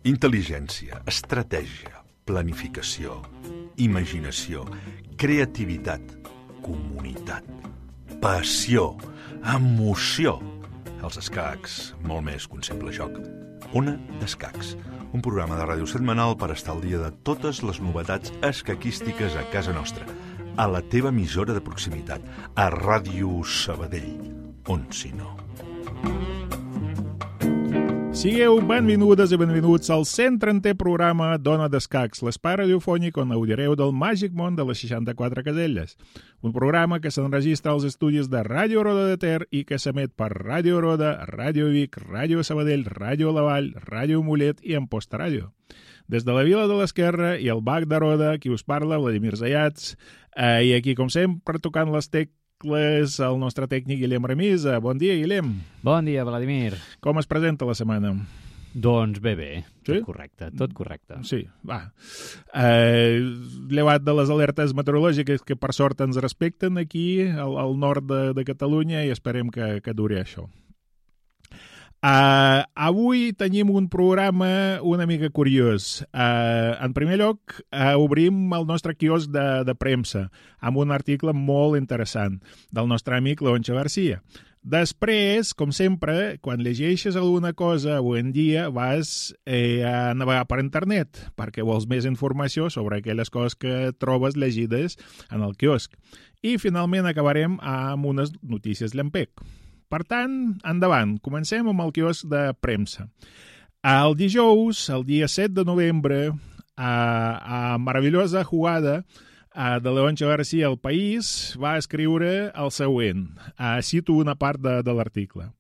Intel·ligència, estratègia, planificació, imaginació, creativitat, comunitat, passió, emoció. Els escacs, molt més que un simple joc. Ona d'Escacs, un programa de ràdio setmanal per estar al dia de totes les novetats escaquístiques a casa nostra, a la teva emissora de proximitat, a Ràdio Sabadell, on si no. Sigueu benvingudes i benvinguts al 130è programa d'Ona d'Escacs, l'espai radiofònic on gaudireu del màgic món de les 64 caselles. Un programa que s'enregistra als estudis de Ràdio Roda de Ter i que s'emet per Ràdio Roda, Ràdio Vic, Ràdio Sabadell, Ràdio La Vall, Ràdio Mollet i Amposta Ràdio. Des de la Vila de l'Esquerra i el Bac de Roda, qui us parla, Vladimir Zayats, i aquí, com sempre, tocant les tecles, el nostre tècnic Guillem Remisa. Bon dia, Guillem. Bon dia, Vladimir. Com es presenta la setmana? Doncs bé. Sí? Tot correcte. Sí, va. Llevat de les alertes meteorològiques que per sort ens respecten aquí, al nord de Catalunya, i esperem que duri això. Avui tenim un programa una mica curiós. En primer lloc, obrim el nostre quiosc de premsa amb un article molt interessant del nostre amic Leoncho Garcia. Després, com sempre, quan llegeixes alguna cosa avui en dia vas a navegar per internet perquè vols més informació sobre aquelles coses que trobes llegides en el quiosc. I finalment acabarem amb unes notícies llampec. Per tant, endavant, comencem amb el quiosc de premsa. El dijous, el dia 7 de novembre, a meravellosa jugada de Leoncho García al País, va escriure el següent. Cito una part de l'article.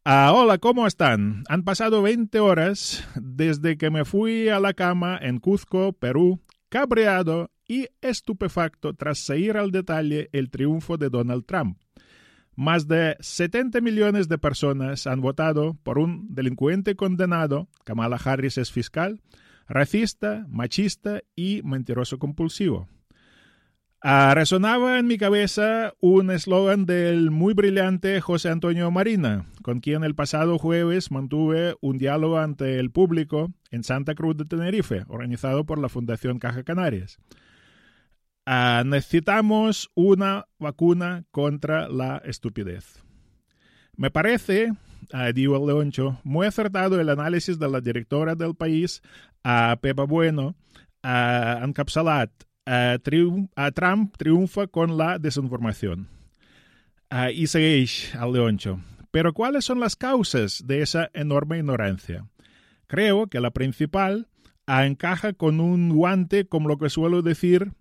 Hola, ¿cómo están? Han pasado 20 horas desde que me fui a la cama en Cuzco, Perú, cabreado y estupefacto tras seguir al detalle el triunfo de Donald Trump. Más de 70 millones de personas han votado por un delincuente condenado, Kamala Harris es fiscal, racista, machista y mentiroso compulsivo. Resonaba en mi cabeza un eslogan del muy brillante José Antonio Marina, con quien el pasado jueves mantuve un diálogo ante el público en Santa Cruz de Tenerife, organizado por la Fundación Caja Canarias. Necesitamos una vacuna contra la estupidez. Me parece, dijo el Leoncho, muy acertado el análisis de la directora del País, Pepa Bueno, encapsulat, Trump triunfa con la desinformación. Y segueix el Leoncho. Pero ¿cuáles son las causas de esa enorme ignorancia? Creo que la principal encaja con un guante, como lo que suelo decir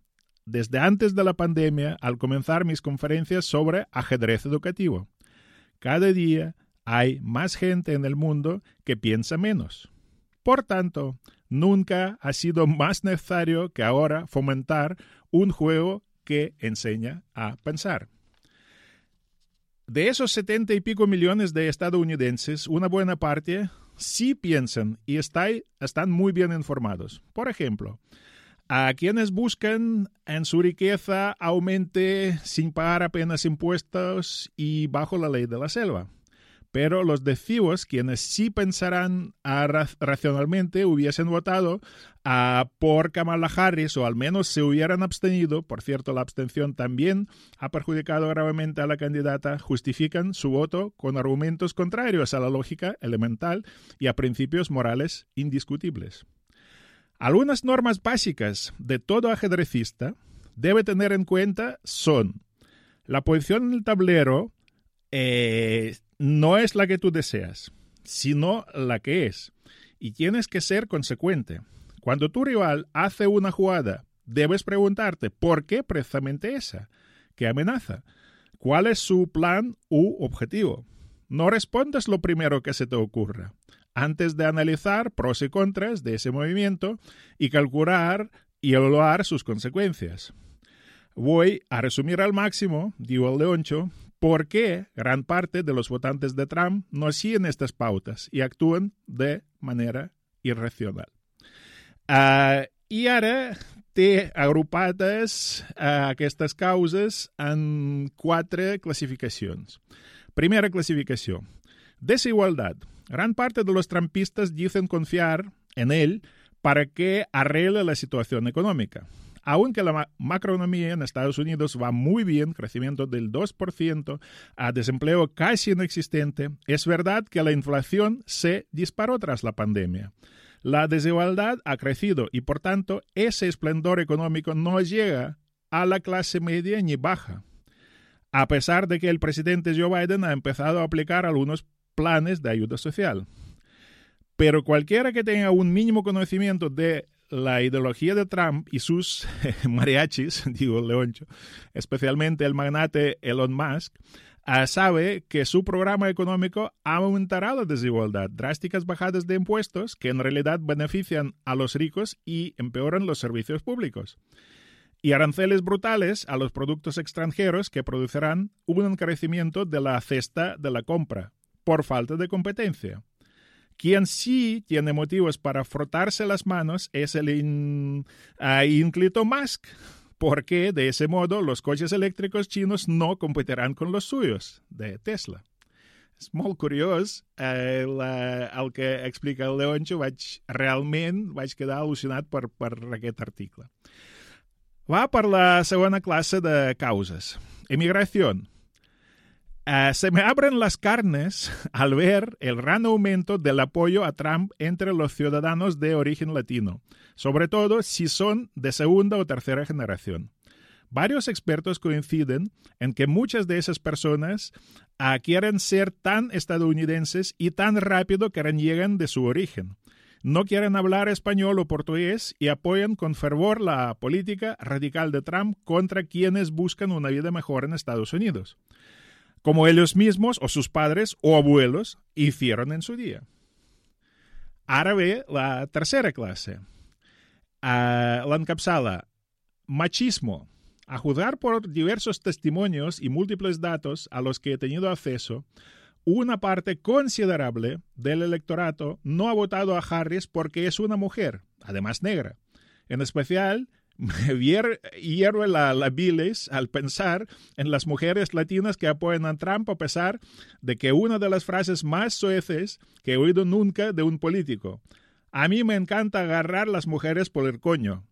desde antes de la pandemia al comenzar mis conferencias sobre ajedrez educativo. Cada día hay más gente en el mundo que piensa menos. Por tanto, nunca ha sido más necesario que ahora fomentar un juego que enseña a pensar. De esos 70 y pico millones de estadounidenses, una buena parte sí piensan y están muy bien informados. Por ejemplo, a quienes buscan en su riqueza aumente sin pagar apenas impuestos y bajo la ley de la selva. Pero los decios, quienes sí pensarán racionalmente, hubiesen votado por Kamala Harris o al menos se hubieran abstenido. Por cierto, la abstención también ha perjudicado gravemente a la candidata. Justifican su voto con argumentos contrarios a la lógica elemental y a principios morales indiscutibles. Algunas normas básicas de todo ajedrecista debe tener en cuenta son: la posición en el tablero no es la que tú deseas, sino la que es. Y tienes que ser consecuente. Cuando tu rival hace una jugada, debes preguntarte ¿por qué precisamente esa? ¿Qué amenaza? ¿Cuál es su plan u objetivo? No respondas lo primero que se te ocurra, antes de analizar pros y contras de ese movimiento y calcular y evaluar sus consecuencias. Voy a resumir al máximo, dijo el Leoncho, por qué gran parte de los votantes de Trump no siguen estas pautas y actúan de manera irracional. I ara té agrupades aquestes causes en 4 classificacions. Primera classificació. Desigualdad. Gran parte de los trampistas dicen confiar en él para que arregle la situación económica. Aunque la macroeconomía en Estados Unidos va muy bien, crecimiento del 2%, a desempleo casi inexistente, es verdad que la inflación se disparó tras la pandemia. La desigualdad ha crecido y, por tanto, ese esplendor económico no llega a la clase media ni baja, a pesar de que el presidente Joe Biden ha empezado a aplicar algunos planes de ayuda social. Pero cualquiera que tenga un mínimo conocimiento de la ideología de Trump y sus mariachis, digo Leoncho, especialmente el magnate Elon Musk, sabe que su programa económico aumentará la desigualdad, drásticas bajadas de impuestos que en realidad benefician a los ricos y empeoran los servicios públicos, y aranceles brutales a los productos extranjeros que producirán un encarecimiento de la cesta de la compra por falta de competencia. Quien sí tiene motivos para frotarse las manos es el ínclito Musk, porque de ese modo los coches eléctricos chinos no competirán con los suyos, de Tesla. És molt curiós el que explica el Leoncho. Realment vaig quedar al·lucinat per aquest article. Va per la segona classe de causes. Emigración. Se me abren las carnes al ver el gran aumento del apoyo a Trump entre los ciudadanos de origen latino, sobre todo si son de segunda o tercera generación. Varios expertos coinciden en que muchas de esas personas quieren ser tan estadounidenses y tan rápido que reniegan de su origen. No quieren hablar español o portugués y apoyan con fervor la política radical de Trump contra quienes buscan una vida mejor en Estados Unidos, como ellos mismos o sus padres o abuelos hicieron en su día. Ara ve la tercera clase. L'encapçala machismo. A juzgar por diversos testimonios y múltiples datos a los que he tenido acceso, una parte considerable del electorado no ha votado a Harris porque es una mujer, además negra. En especial, me hierve la bilis al pensar en las mujeres latinas que apoyan a Trump a pesar de que una de las frases más soeces que he oído nunca de un político: a mí me encanta agarrar las mujeres por el coño.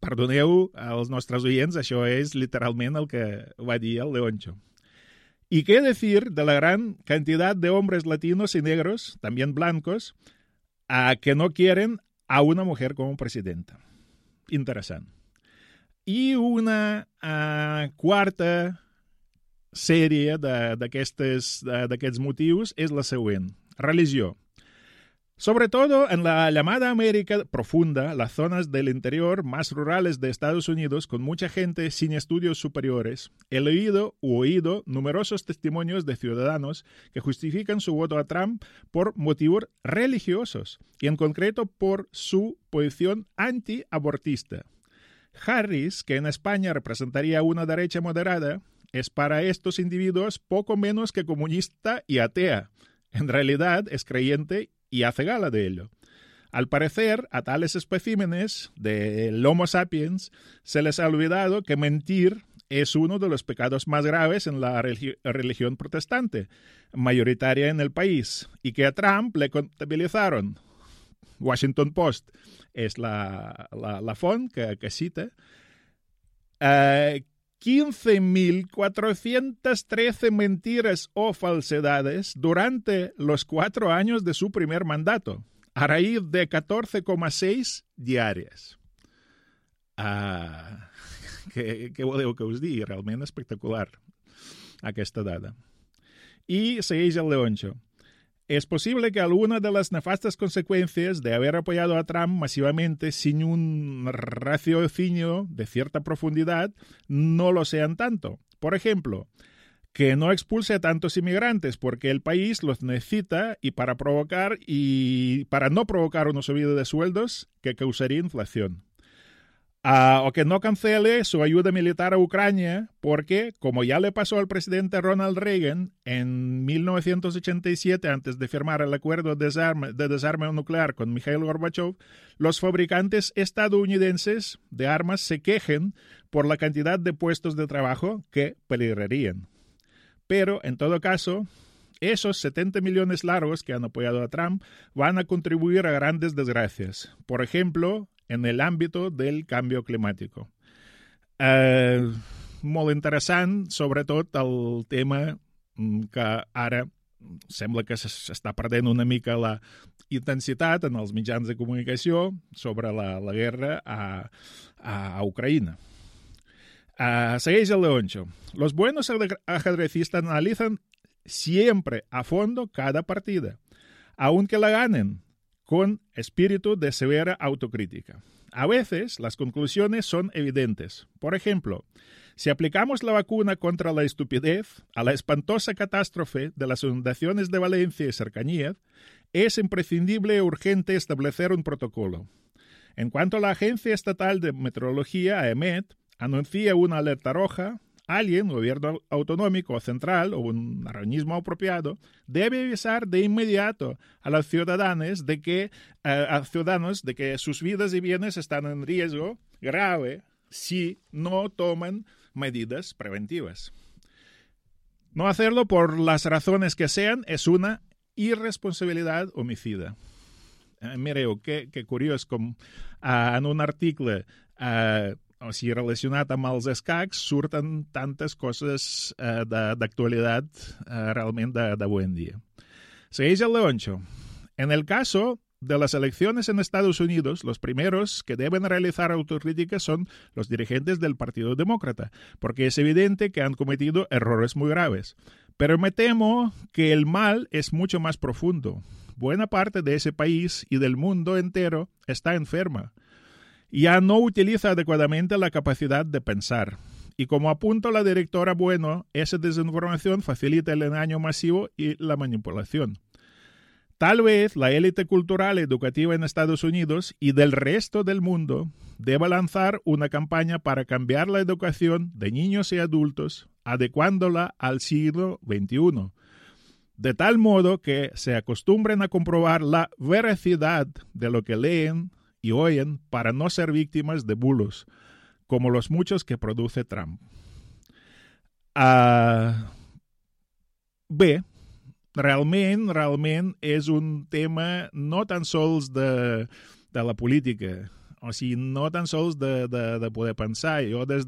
Perdoneu als nostres oients, això és literalment el que va dir el Leoncho. ¿Y qué decir de la gran cantidad de hombres latinos y negros, también blancos, que no quieren a una mujer como presidenta? Interessant. I una quarta sèrie d'aquests motius és la següent. Religió. Sobre todo en la llamada América profunda, las zonas del interior más rurales de Estados Unidos, con mucha gente sin estudios superiores, he leído u oído numerosos testimonios de ciudadanos que justifican su voto a Trump por motivos religiosos, y en concreto por su posición antiabortista. Harris, que en España representaría una derecha moderada, es para estos individuos poco menos que comunista y atea. En realidad es creyente y hace gala de ello. Al parecer, a tales especímenes del Homo sapiens se les ha olvidado que mentir es uno de los pecados más graves en la religión protestante, mayoritaria en el país, y que a Trump le contabilizaron. Washington Post es la font que cita. 15.413 mentiras o falsedades durante los 4 años de su primer mandato, a raíz de 14,6 diàries. Què voleu que us digui? Realment espectacular aquesta dada. Y segueix el Leoncho. Es posible que alguna de las nefastas consecuencias de haber apoyado a Trump masivamente sin un raciocinio de cierta profundidad no lo sean tanto. Por ejemplo, que no expulse a tantos inmigrantes porque el país los necesita y para no provocar una subida de sueldos que causaría inflación. O que no cancele su ayuda militar a Ucrania porque, como ya le pasó al presidente Ronald Reagan en 1987 antes de firmar el acuerdo de desarme nuclear con Mikhail Gorbachev, los fabricantes estadounidenses de armas se quejen por la cantidad de puestos de trabajo que peligrarían. Pero, en todo caso, esos 70 millones largos que han apoyado a Trump van a contribuir a grandes desgracias. Por ejemplo, en el ámbito del canvi climàtic. Molt interessant, sobretot el tema que ara sembla que s'està perdent una mica la intensitat en els mitjans de comunicació sobre la guerra a Ucrania. Segueix el Leoncho. Los buenos ajedrecistas analizan siempre a fondo cada partida, aunque la ganen, con espíritu de severa autocrítica. A veces las conclusiones son evidentes. Por ejemplo, si aplicamos la vacuna contra la estupidez a la espantosa catástrofe de las inundaciones de Valencia y cercanías, es imprescindible y urgente establecer un protocolo. En cuanto la Agencia Estatal de Meteorología, AEMET, anuncia una alerta roja, alguien, gobierno autonómico o central o un organismo apropiado, debe avisar de inmediato a los ciudadanos de que sus vidas y bienes están en riesgo grave si no toman medidas preventivas. No hacerlo por las razones que sean es una irresponsabilitat homicida. Mireu, que curiós com en un article relacionat amb els escacs surten tantes coses d'actualitat realment d'avui en dia. Segueix el Leoncho. En el caso de las elecciones en Estados Unidos, los primeros que deben realizar autocrítica son los dirigentes del Partido Demócrata, porque es evidente que han cometido errores muy graves. Pero me temo que el mal es mucho más profundo. Buena parte de ese país y del mundo entero está enferma. Ya no utiliza adecuadamente la capacidad de pensar. Y como apunta la directora Bueno, esa desinformación facilita el engaño masivo y la manipulación. Tal vez la élite cultural y educativa en Estados Unidos y del resto del mundo deba lanzar una campaña para cambiar la educación de niños y adultos, adecuándola al siglo XXI, de tal modo que se acostumbren a comprobar la veracidad de lo que leen y oyen para no ser víctimas de bulos, como los muchos que produce Trump. Bé, realment és un tema no tan sols de la política, o sigui, no tan sols de poder pensar. Jo des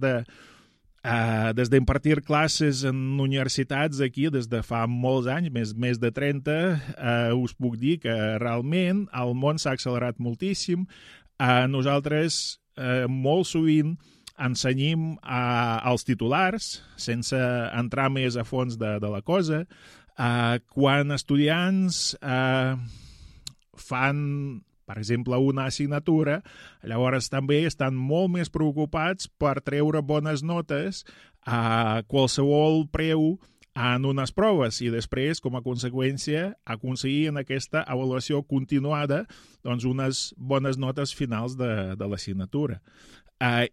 d'impartir classes en universitats aquí des de fa molts anys, més de 30, us puc dir que realment el món s'ha accelerat moltíssim. Nosaltres molt sovint ensenyem als titulars sense entrar més a fons de la cosa. Quan estudiants fan, per exemple, una assignatura, llavors també estan molt més preocupats per treure bones notes a qualsevol preu en unes proves i després, com a conseqüència, aconseguir en aquesta avaluació continuada doncs, unes bones notes finals de l'assignatura.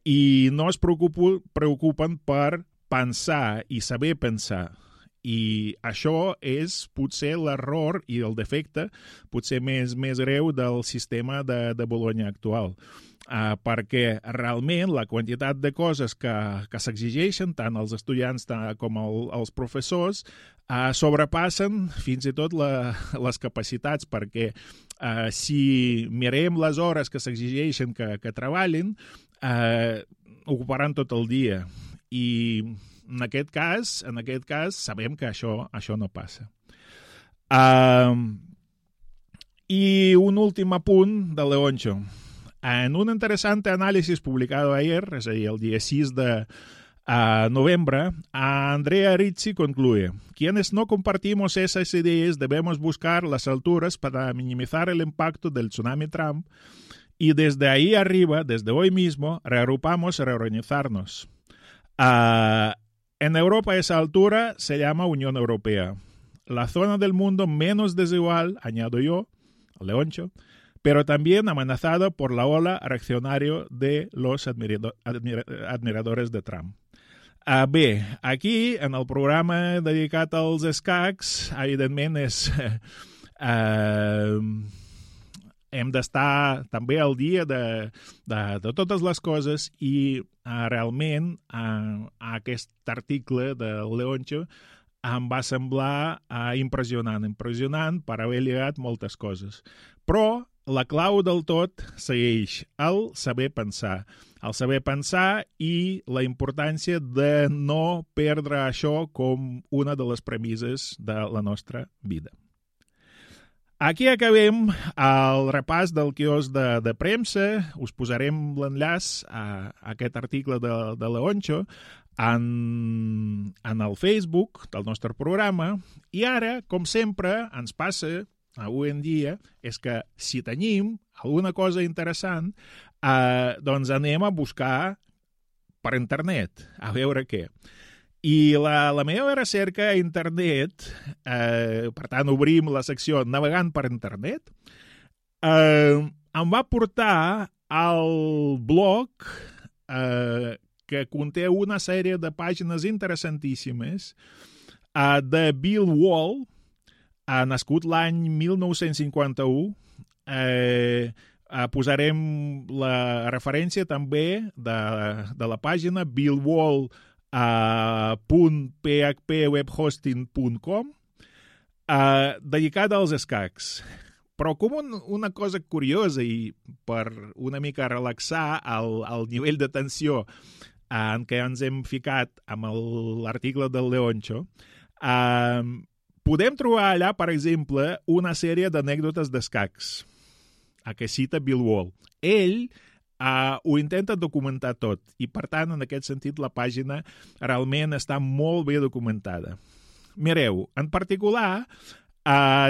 I no es preocupen per pensar i saber pensar. I això és potser l'error i el defecte potser més greu del sistema de Bologna actual. Perquè realment la quantitat de coses que s'exigeixen tant als estudiants com als professors sobrepassen fins i tot les capacitats, perquè si mirem les hores que s'exigeixen que treballin, ocuparan tot el dia. I en aquest cas sabem que això no passa. Y un último apunt de Leoncho. En un interesante análisis publicado ayer, es decir, el día 6 de noviembre, Andrea Rizzi concluye: quienes no compartimos esas ideas debemos buscar las alturas para minimizar el impacto del tsunami Trump y desde ahí arriba, desde hoy mismo, reagrupamos y reorganizarnos. En Europa esa altura se llama Unión Europea, la zona del mundo menos desigual, añado yo, Leoncho, pero también amenazado por la ola reaccionario de los admiradores de Trump. Bé, aquí, en el programa dedicat als escacs, evidentment hem d'estar també al dia de totes les coses i realment aquest article de Leoncho em va semblar impressionant per haver lligat moltes coses. Però la clau del tot segueix el saber pensar. El saber pensar i la importància de no perdre això com una de les premisses de la nostra vida. Aquí acabem el repàs del quios de premsa. Us posarem l'enllaç a aquest article de Leoncho en el Facebook del nostre programa. I ara, com sempre, ens passa avui en dia, és que si tenim alguna cosa interessant, doncs anem a buscar per internet, a veure què. I la meva recerca a internet, per tant obrim la secció navegant per internet, em va portar al blog que conté una sèrie de pàgines interessantíssimes de Bill Wall, nascut l'any 1951. Posarem la referència també de la pàgina billwall.phpwebhosting.com dedicada als escacs. Però com una cosa curiosa i per una mica relaxar el nivell de tensió en què ens hem ficat amb l'article del Leoncho, podem trobar allà, per exemple, una sèrie d'anècdotes d'escacs, a què cita Bill Wall. Ell ho intenta documentar tot i, per tant, en aquest sentit, la pàgina realment està molt bé documentada. Mireu, en particular,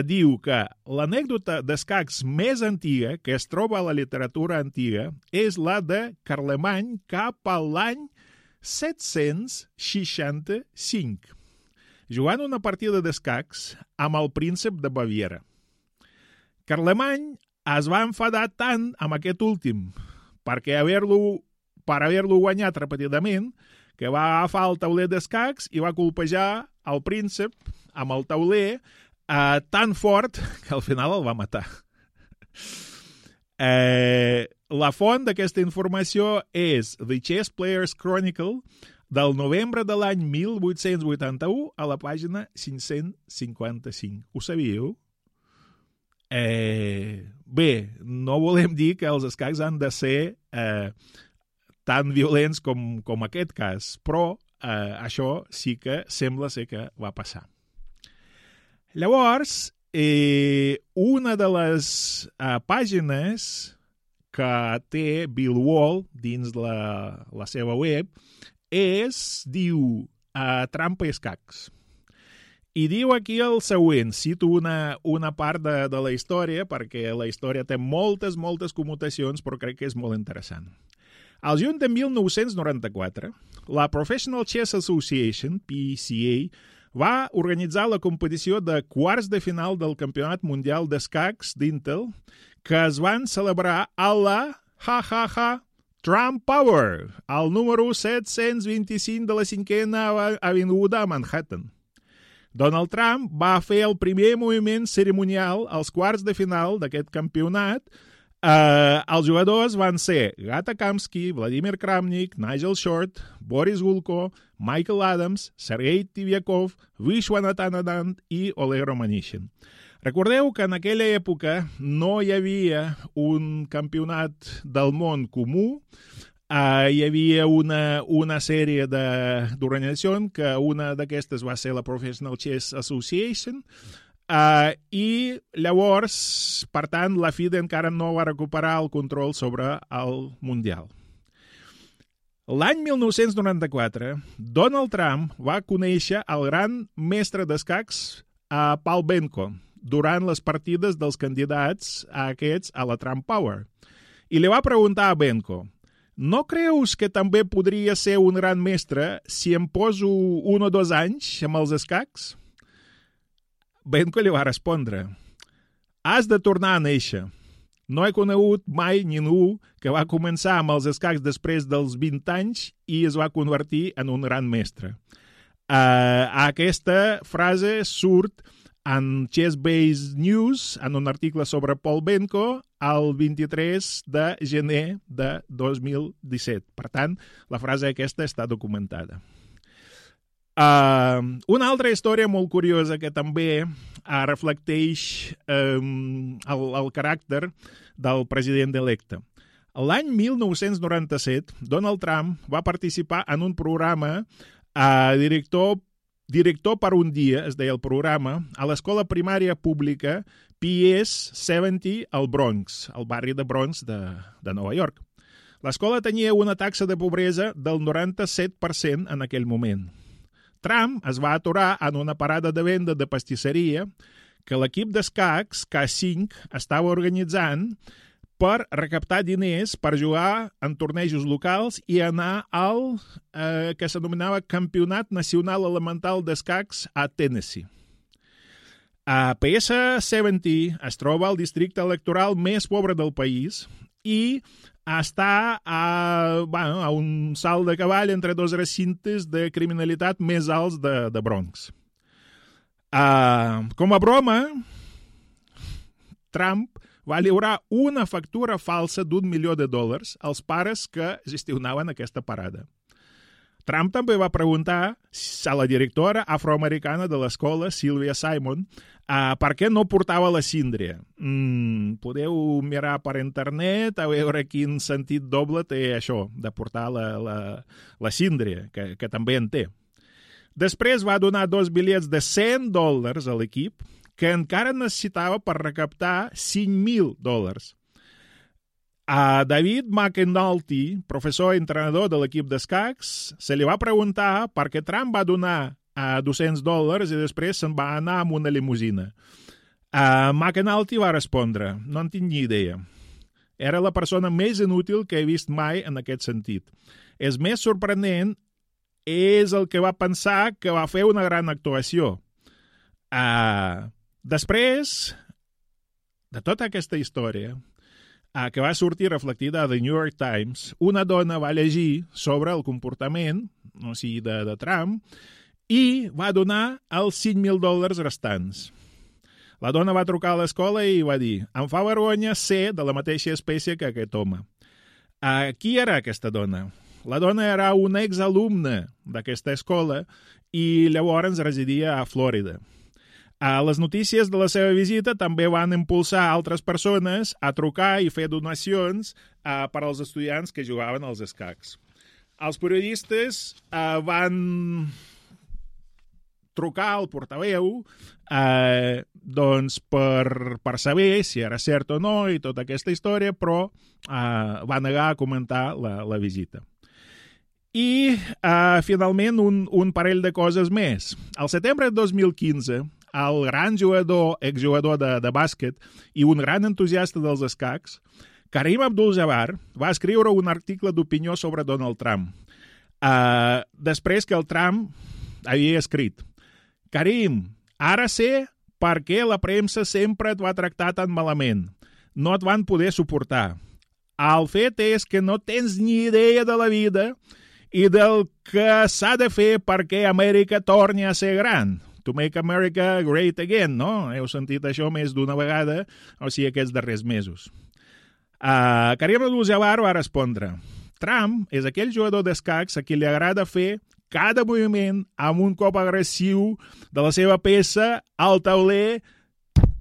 diu que l'anècdota d'escacs més antiga que es troba a la literatura antiga és la de Carlemany cap a l'any 765, jugant una partida d'escacs amb el príncep de Baviera. Carlemany es va enfadar tant amb aquest últim per haver-lo guanyat repetidament que va agafar el tauler d'escacs i va colpejar el príncep amb el tauler tan fort que al final el va matar. La font d'aquesta informació és The Chess Players Chronicle del novembre de l'any 1881 a la pàgina 555. Ho sabíeu? Bé, no volem dir que els escacs han de ser tan violents com aquest cas, però això sí que sembla ser que va passar. Llavors, una de les pàgines que té Bill Wall dins la seva web diu Trampa i escacs. I diu aquí el següent, cito una part de la història, perquè la història té moltes commutacions, però crec que és molt interessant. Al juny de 1994, la Professional Chess Association, PCA, va organitzar la competició de quarts de final del Campionat Mundial d'Escacs d'Intel, que es van celebrar a la Trump Tower, al número 725 de la 5a Avinguda a Manhattan. Donald Trump va fer el primer moviment cerimonial als quarts de final d'aquest campionat. Els jugadors van ser Gata Kamsky, Vladimir Kramnik, Nigel Short, Boris Gulko, Michael Adams, Sergei Tivyakov, Vishwanathan Anand i Oleg Romanishin. Recordeu que en aquella època no hi havia un campionat del món comú, hi havia una sèrie d'organitzacions, que una d'aquestes va ser la Professional Chess Association, i llavors, per tant, la FIDE encara no va recuperar el control sobre el Mundial. L'any 1994, Donald Trump va conèixer el gran mestre d'escacs Paul Benko durant les partides dels candidats aquests a la Trump Tower. I li va preguntar a Benko: no creus que també podria ser un gran mestre si em poso 1 o 2 anys amb els escacs? Benko li va respondre: has de tornar a néixer. No he conegut mai ningú que va començar amb els escacs després dels 20 anys i es va convertir en un gran mestre. Aquesta frase surt en Chess Base News, en un article sobre Paul Benko, el 23 de gener de 2017. Per tant, la frase aquesta està documentada. Una altra història molt curiosa que també reflecteix el caràcter del president electe. L'any 1997, Donald Trump va participar en un programa Director per un dia, es deia el programa, a l'escola primària pública PS 70 al Bronx, al barri de Bronx de Nova York. L'escola tenia una taxa de pobresa del 97% en aquell moment. Trump es va aturar en una parada de venda de pastisseria que l'equip d'escacs K5 estava organitzant per recaptar diners per jugar en tornejos locals i anar al que s'anomenava Campionat Nacional Elemental d'Escacs a Tennessee. PS70 es troba al districte electoral més pobre del país i està a un salt de cavall entre dos recintes de criminalitat més alts de Bronx. Com a broma, Trump va lliurar una factura falsa d'$1 milió als pares que gestionaven aquesta parada. Trump també va preguntar a la directora afroamericana de l'escola, Sylvia Simon, per què no portava la síndria. Podeu mirar per internet a veure quin sentit doble té això, de portar la síndria, que també en té. Després va donar 2 bitllets de $100 a l'equip, que encara necessitava per recaptar $5,000. A David McAnulty, professor i entrenador de l'equip d'escacs, se li va preguntar per què Trump va donar $200 i després se'n va anar amb una limusina. McAnulty va respondre, no en tinc ni idea. Era la persona més inútil que he vist mai en aquest sentit. És més sorprenent és el que va pensar que va fer una gran actuació. Després de tota aquesta història, que va sortir reflectida a The New York Times, una dona va llegir sobre el comportament de Trump i va donar els $5,000 restants. La dona va trucar a l'escola i va dir: em fa vergonya ser de la mateixa espècie que aquest home. Qui era aquesta dona? La dona era una exalumna d'aquesta escola i llavors residia a Florida. Les notícies de la seva visita també van impulsar altres persones a trucar i fer donacions per als estudiants que jugaven als escacs. Els periodistes van trucar al portaveu per saber si era cert o no i tota aquesta història, però va negar a comentar la visita. I, finalment, un parell de coses més. Al setembre de 2015, el gran exjugador de bàsquet i un gran entusiasta dels escacs, Kareem Abdul-Jabbar, va escriure un article d'opinió sobre Donald Trump. Després que el Trump havia escrit: Kareem, ara sé per què la premsa sempre et va tractar tan malament. No et van poder suportar. El fet és que no tens ni idea de la vida i del que s'ha de fer perquè Amèrica torni a ser gran. To make America great again, no? Heu sentit això més d'una vegada, o sigui, aquests darrers mesos. Kareem Abdul-Jabbar va respondre: Trump és aquell jugador d'escacs a qui li agrada fer cada moviment amb un cop agressiu de la seva peça al tauler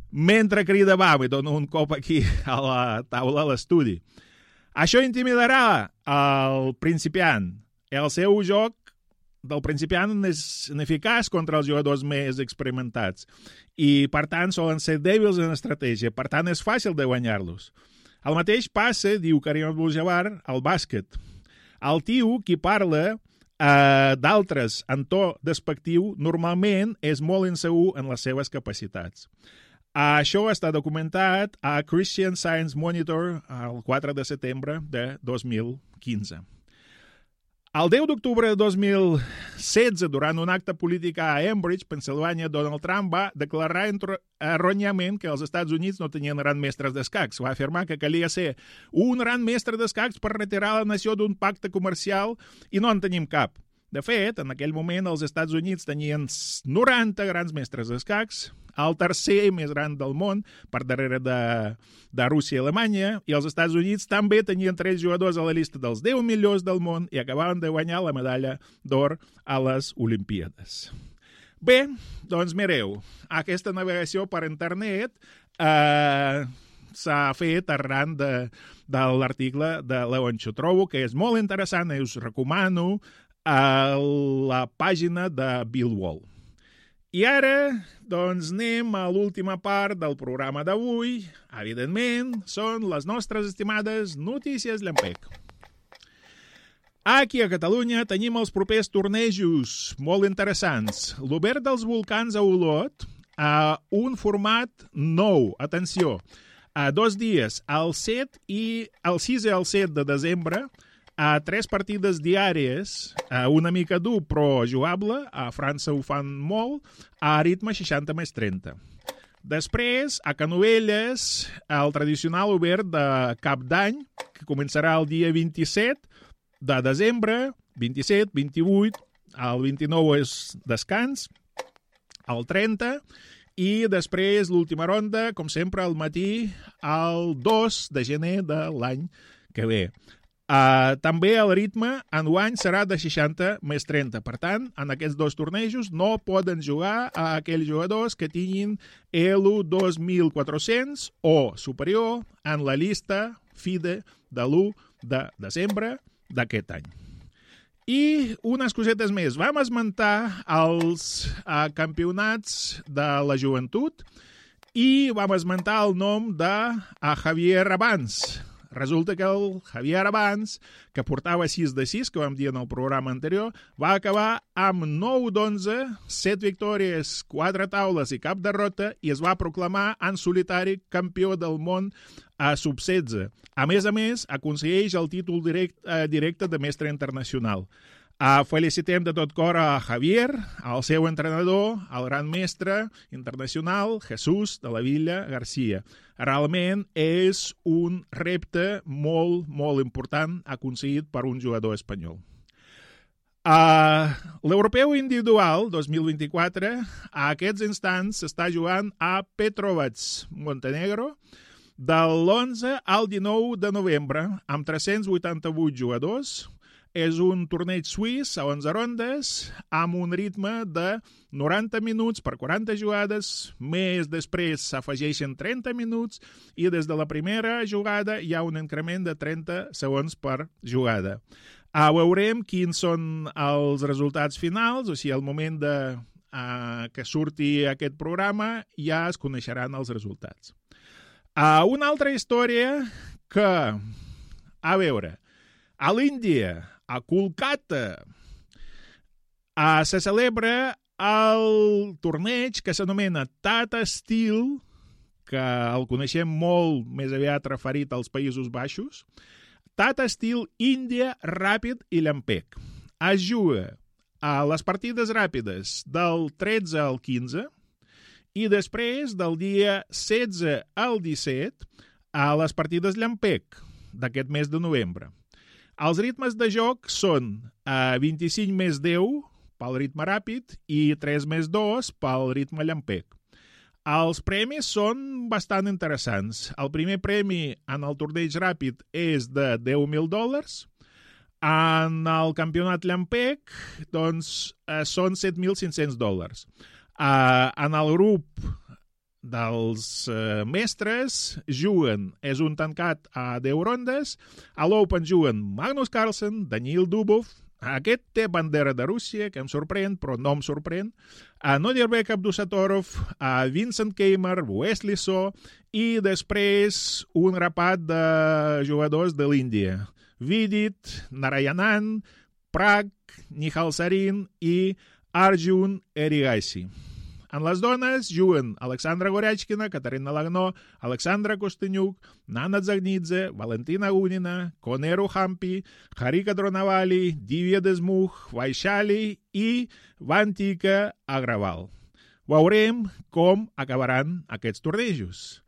mentre crida va. Me dono un cop aquí a la taula a l'estudi. Això intimidarà el principiant. El seu joc del principiant és ineficaç contra els jugadors més experimentats i, per tant, solen ser dèbils en estratègia. Per tant, és fàcil de guanyar-los. El mateix passa, diu Kareem Abdul-Jabbar, al bàsquet. El tio, qui parla d'altres en to despectiu, normalment és molt insegur en les seves capacitats. Això està documentat a Christian Science Monitor el 4 de setembre de 2015. El 10 d'octubre de 2016, durant un acte polític a Ambridge, Pensilvània, Donald Trump va declarar erròniament que els Estats Units no tenien grans mestres d'escacs. Va afirmar que calia ser un gran mestre d'escacs per retirar la nació d'un pacte comercial i no en tenim cap. De fet, en aquell moment els Estats Units tenien 90 grans mestres d'escacs, el tercer més gran del món, per darrere de Rússia i Alemanya, i els Estats Units també tenien 3 jugadors a la llista dels 10 millors del món i acabaven de guanyar la medalla d'or a les Olimpíades. Bé, doncs mireu, aquesta navegació per internet s'ha fet arran de l'article de Leoncho. Trobo que és molt interessant i us recomano a la pàgina de Bill Wall. I ara, doncs, anem a l'última part del programa d'avui. Evidentment, són les nostres estimades notícies llampec. Aquí a Catalunya tenim els propers tornejos molt interessants. L'Obert dels Volcans a Olot, a un format nou. Atenció, a 2 dies, el 6 i el 7 de desembre, a 3 partides diàries, una mica dur però jugable, a França ho fan molt, a ritme 60+30. Després, a Canovelles, el tradicional obert de Cap d'Any, que començarà el dia 27 de desembre, 27, 28, el 29 és descans, el 30, i després l'última ronda, com sempre, al matí, el 2 de gener de l'any que ve. També el ritme enguany serà de 60+30. Per tant, en aquests 2 tornejos no poden jugar a aquells jugadors que tinguin ELO 2400 o superior en la llista FIDE de l'1 de desembre d'aquest any. I unes cosetes més. Vam esmentar els campionats de la joventut i vam esmentar el nom de Javier Abans. Resulta que el Javier Abans, que portava 6 de 6, que vam dir en el programa anterior, va acabar amb 9 d'11, 7 victòries, 4 taules i cap derrota, i es va proclamar en solitari campió del món a sub-16. A més, aconsegueix el títol directe de mestre internacional. Felicitem de tot cor a Javier, al seu entrenador, el gran mestre internacional Jesús de la Villa Garcia. Realment és un repte molt, molt important aconseguit per un jugador espanyol. L'Europeu Individual 2024 a aquests instants s'està jugant a Petrovac, Montenegro, de l'11 al 19 de novembre, amb 388 jugadors. És un torneig suís a 11 rondes amb un ritme de 90 minuts per 40 jugades, més després s'afegeixen 30 minuts i des de la primera jugada hi ha un increment de 30 segons per jugada. Veurem quins són els resultats finals, o sigui, al moment que surti aquest programa ja es coneixeran els resultats. Una altra història que, a veure, a l'Índia, a Kolkata, se celebra el torneig que s'anomena Tata Steel, que el coneixem molt més aviat referit als Països Baixos. Tata Steel India Ràpid i Llampec. Es juga a les partides ràpides del 13 al 15 i després del dia 16 al 17 a les partides Llampec d'aquest mes de novembre. Els ritmes de joc són 25+10 pel ritme ràpid i 3+2 pel ritme llampec. Els premis són bastant interessants. El primer premi en el torneig ràpid és de $10.000. En el campionat llampec doncs, són $7.500. En el grup dels mestres juguen, és un tancat a 10 rondes, a l'Open juguen Magnus Carlsen, Daniil Dubov, aquest té bandera de Rússia, que em sorprèn, però no em sorprèn, Nodirbek Abdusatorov, Vincent Keimer, Wesley So, i després un grapat de jugadors de l'Índia, Vidit, Narayanan, Prag, Nihal Sarin i Arjun Erigaisi. En les dones juguen Alexandra Goryachkina, Katarina Lagnó, Alexandra Kostenyuk, Nana Zagnidze, Valentina Gunina, Koneru Hampi, Harika Dronavali, Divya Desmukh, Vaishali i Vantika Agraval. Veurem com acabaran aquests tornejos.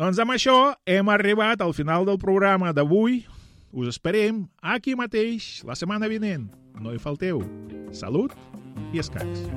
Doncs amb això hem arribat al final del programa d'avui. us esperem aquí mateix la setmana vinent. No hi falteu. Salut i escacs.